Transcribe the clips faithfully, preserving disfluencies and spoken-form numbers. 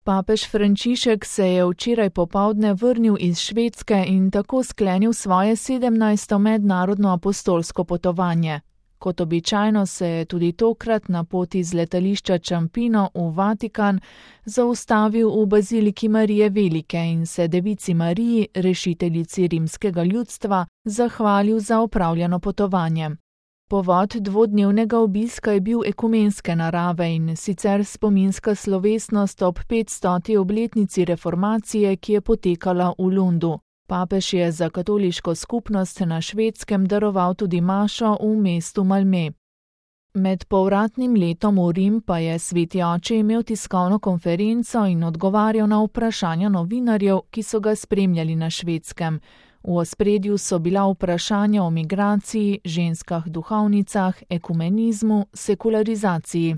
Papež Frančišek se je včeraj popoldne vrnil iz Švedske in tako sklenil svoje sedemnajsto mednarodno apostolsko potovanje. Kot običajno se je tudi tokrat na poti z letališča Ciampino v Vatikan zaustavil v baziliki Marije Velike in se Devici Mariji, rešiteljici rimskega ljudstva, zahvalil za opravljeno potovanje. Povod dvodnevnega obiska je bil ekumenske narave in sicer spominska slovesnost ob petstoti obletnici reformacije, ki je potekala v Lundu. Papež je za katoliško skupnost na Švedskem daroval tudi mašo v mestu Malmö. Med povratnim letom v Rim pa je sveti oče imel tiskovno konferenco in odgovarjal na vprašanja novinarjev, ki so ga spremljali na Švedskem. V ospredju so bila vprašanja o migraciji, ženskah duhovnicah, ekumenizmu, sekularizaciji.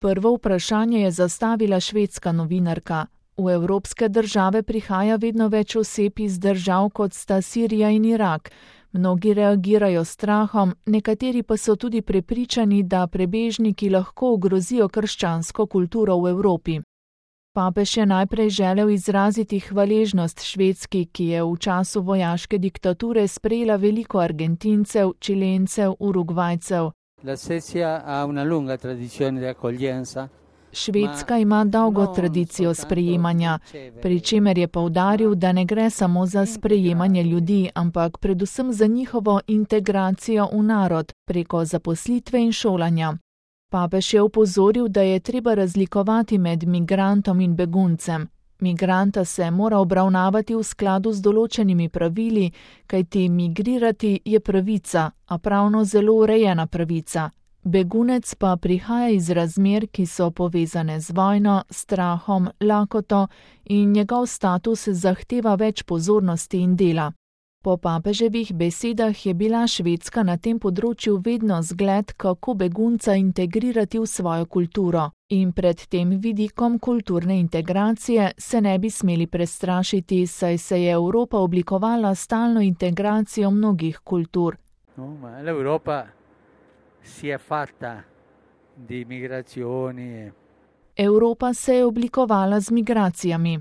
Prvo vprašanje je zastavila švedska novinarka. V evropske države prihaja vedno več oseb iz držav, kot sta Sirija in Irak. Mnogi reagirajo s strahom, nekateri pa so tudi prepričani, da prebežniki lahko ogrozijo krščansko kulturo v Evropi. Papež je najprej želel izraziti hvaležnost Švedski, ki je v času vojaške diktature sprejela veliko Argentincev, Čilencev, Urugvajcev. Švedska ima dolgo tradicijo sprejemanja, pri čemer je poudaril, da ne gre samo za sprejemanje ljudi, ampak predvsem za njihovo integracijo v narod preko zaposlitve in šolanja. Papež je opozoril, da je treba razlikovati med migrantom in beguncem. Migranta se mora obravnavati v skladu z določenimi pravili, kajti migrirati je pravica, a pravno zelo urejena pravica. Begunec pa prihaja iz razmer, ki so povezane z vojno, strahom, lakoto in njegov status zahteva več pozornosti in dela. Po papeževih besedah je bila Švedska na tem področju vedno zgled, kako begunca integrirati v svojo kulturo. In pred tem vidikom kulturne integracije se ne bi smeli prestrašiti, saj se je Evropa oblikovala stalno integracijo mnogih kultur. No, ma l'Europa si è fatta di migrazioni. Evropa se je oblikovala z migracijami.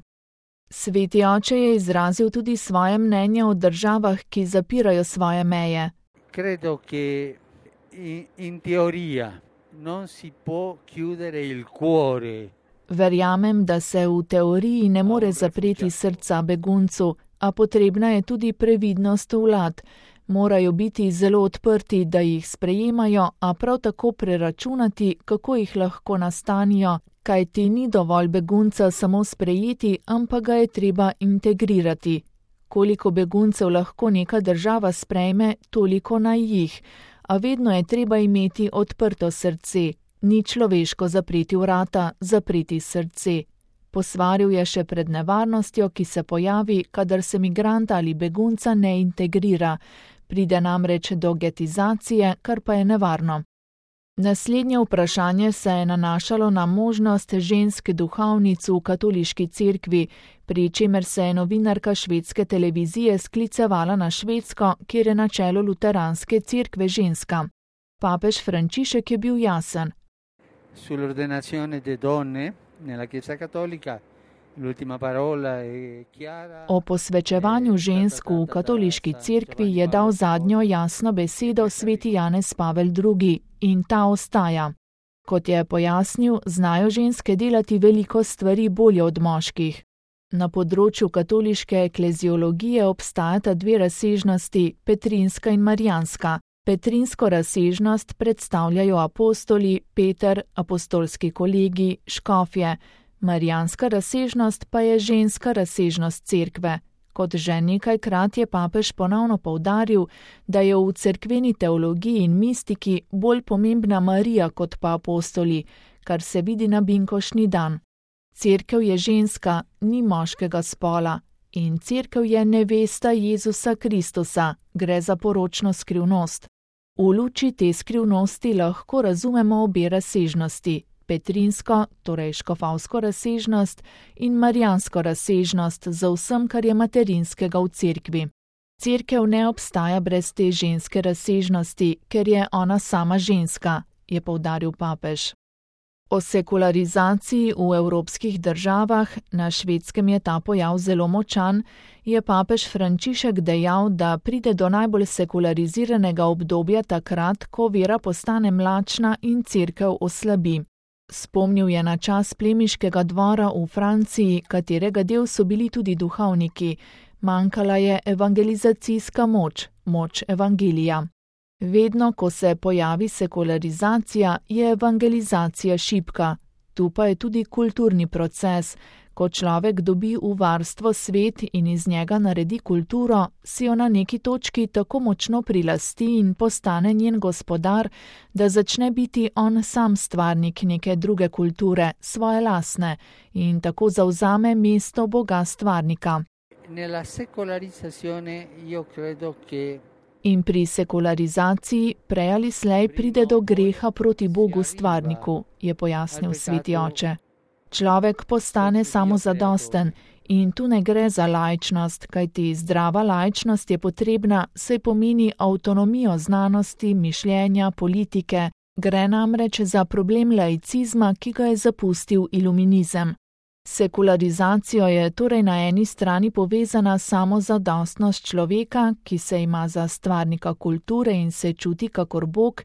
Sveti oče je izrazil tudi svoje mnenje o državah, ki zapirajo svoje meje. Credo che in teoria non si può chiudere il cuore. Verjamem, da se v teoriji ne more zapreti srca beguncu, a potrebna je tudi previdnost vlad. Morajo biti zelo odprti, da jih sprejemajo, a prav tako preračunati, kako jih lahko nastanijo, kajti ni dovolj begunca samo sprejeti, ampak ga je treba integrirati. Koliko beguncev lahko neka država sprejme, toliko naj jih, a vedno je treba imeti odprto srce. Ni človeško zapreti vrata, zapreti srce. Posvaril je še pred nevarnostjo, ki se pojavi, kadar se migranta ali begunca ne integrira. Pride namreč do getizacije, kar pa je nevarno. Naslednje vprašanje se je nanašalo na možnost žensk duhovnic v katoliški cerkvi, pri čemer se je novinarka švedske televizije sklicevala na Švedsko, kjer je na čelu luteranske cerkve ženska. Papež Frančišek je bil jasen. Sull'ordinazione de donne nella Chiesa Cattolica l'ultima parola è chiara. O posvečevanju žensk v katoliški cerkvi je dal zadnjo jasno besedo sveti Janez Pavel drugi in ta ostaja. Kot je pojasnil, znajo ženske delati veliko stvari bolje od moških. Na področju katoliške ekleziologije obstajata dve razsežnosti, petrinska in marijanska. Petrinsko razsežnost predstavljajo apostoli, Peter, apostolski kolegi, škofje. Marijanska razsežnost pa je ženska razsežnost cerkve. Kot že nekajkrat je papež ponovno poudaril, da je v cerkveni teologiji in mistiki bolj pomembna Marija kot pa apostoli, kar se vidi na binkošni dan. Cerkev je ženska, ni moškega spola. In cerkev je nevesta Jezusa Kristusa, gre za poročno skrivnost. V luči te skrivnosti lahko razumemo obe razsežnosti, petrinsko, torej škofovsko razsežnost in marijansko razsežnost za vsem, kar je materinskega v cerkvi. Cerkev ne obstaja brez te ženske razsežnosti, ker je ona sama ženska, je poudaril papež. O sekularizaciji v evropskih državah, na Švedskem je ta pojav zelo močan, je papež Frančišek dejal, da pride do najbolj sekulariziranega obdobja takrat, ko vera postane mlačna in cerkev oslabi. Spomnil je na čas plemiškega dvora v Franciji, katerega del so bili tudi duhovniki. Manjkala je evangelizacijska moč, moč evangelija. Vedno, ko se pojavi sekularizacija, je evangelizacija šibka. Tu pa je tudi kulturni proces. Ko človek dobi v varstvo svet in iz njega naredi kulturo, si jo na neki točki tako močno prilasti in postane njen gospodar, da začne biti on sam stvarnik neke druge kulture, svoje lastne, in tako zavzame mesto Boga stvarnika. Nella secolarizzazione io credo che In pri sekularizaciji prej ali slej pride do greha proti Bogu stvarniku, je pojasnil sveti oče. Človek postane samozadosten in tu ne gre za laičnost, kajti zdrava laičnost je potrebna, saj pomeni avtonomijo znanosti, mišljenja, politike, gre namreč za problem laicizma, ki ga je zapustil iluminizem. Sekularizacijo je torej na eni strani povezana samozadostnost človeka, ki se ima za stvarnika kulture in se čuti kakor Bog,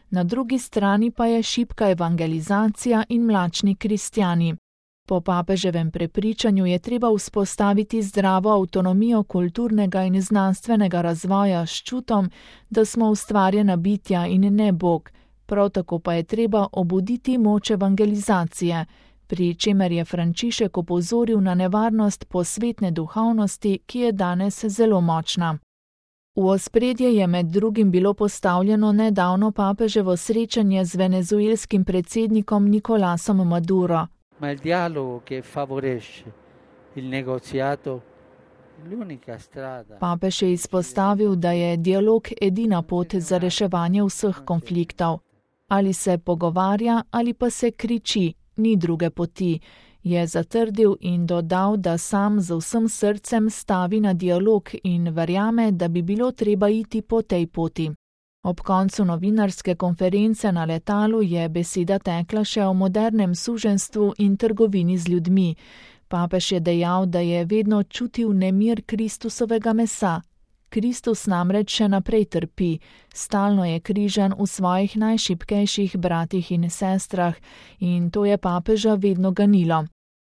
na drugi strani pa je šibka evangelizacija in mlačni kristjani. Po papeževem prepričanju je treba vzpostaviti zdravo avtonomijo kulturnega in znanstvenega razvoja s čutom, da smo ustvarjena bitja in ne Bog, prav tako pa je treba obuditi moč evangelizacije, pri čemer je Frančišek opozoril na nevarnost posvetne duhovnosti, ki je danes zelo močna. V ospredje je med drugim bilo postavljeno nedavno papeževo srečanje z venezuelskim predsednikom Nicolasom Maduro. Ma il dialogo che favorisce il negoziato è l'unica strada. Papež je izpostavil, da je dialog edina pot za reševanje vseh konfliktov. Ali se pogovarja ali pa se kriči, ni druge poti, je zatrdil in dodal, da sam z vsem srcem stavi na dialog in verjame, da bi bilo treba iti po tej poti. Ob koncu novinarske konference na letalu je beseda tekla še o modernem suženjstvu in trgovini z ljudmi. Papež je dejal, da je vedno čutil nemir Kristusovega mesa. Kristus namreč še naprej trpi, stalno je križan v svojih najšibkejših bratih in sestrah in to je papeža vedno ganilo.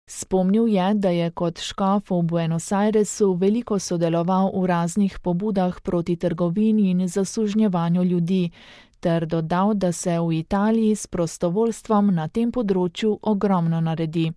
Spomnil je, da je kot škof v Buenos Airesu veliko sodeloval v raznih pobudah proti trgovini in zasužnjevanju ljudi, ter dodal, da se v Italiji s prostovoljstvom na tem področju ogromno naredi.